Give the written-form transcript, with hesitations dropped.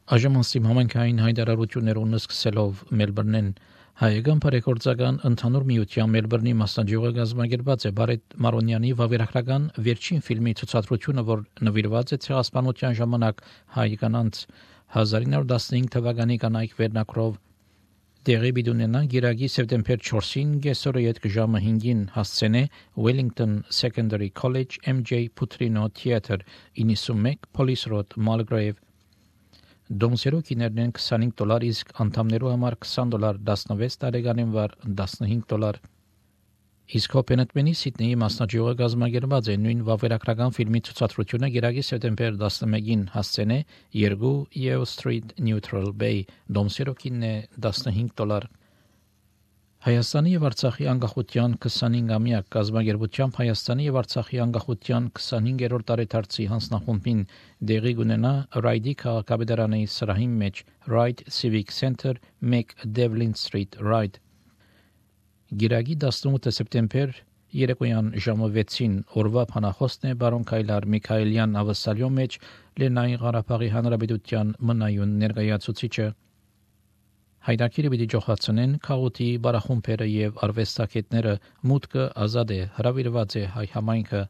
Այժմ համայնքային հայտարարություններուն սկսելով Մելբուրնեն հայկական բարեգործական ընդհանուր միության Մելբուրնի մասնաճյուղը գազམ་ագերված է Բարետ Մարոնյանի վավերագրական վերջին ֆիլմի ցուցադրությունը, որ նվիրված է ցեղասպանության ժամանակ հայ կանանց 1915 թվականի կանայք վերնակրով տեղի բիդունենա գիրագի սեպտեմբեր 4-ին գեսորը յետք ժամը 5-ին հասցենե Wellington Secondary College MJ Putrino Theater 91 Police Road Mulgrave Դոմսերու կիներն $25 իսկ անդամներու համար $20 16 տարեկանին վար $15 Իսկ Հոփենետմենի Սիդնեի մասնաճյուղը գազམ་ագերված է նույն վավերագրական ֆիլմի ցուցադրությունը գիրագի սեպտեմբեր 11-ին հասցենե 2 Yeo Street Neutral Bay Դոմսերու կինն $15 Հայաստանի եւ Արցախի անկախության 25-ամյակ գազམ་ագերբությամբ Հայաստանի եւ Արցախի անկախության 25-րդ տարեդարձի հանձնախումբին դեղի կունենա Ռայդի քաղաքապետարանի սրահի մեջ Ride Civic Center 1 Devlin Street Ride Գիրագի 18 սեպտեմբեր երեկոյան ժամը 6-ին օրվա փանախոսն է բարոն Քայլար Միքայելյան ավսալյո մեջ Լեռնային Ղարաբաղի Հանրապետության մնայուն ներկայացուցիչը Հայրակիրը պիտի ջոխացնեն քաղուտի բարախումբերը եւ արվեստագետները մուտքը ազատ է հրավիրված է հայ համայնքը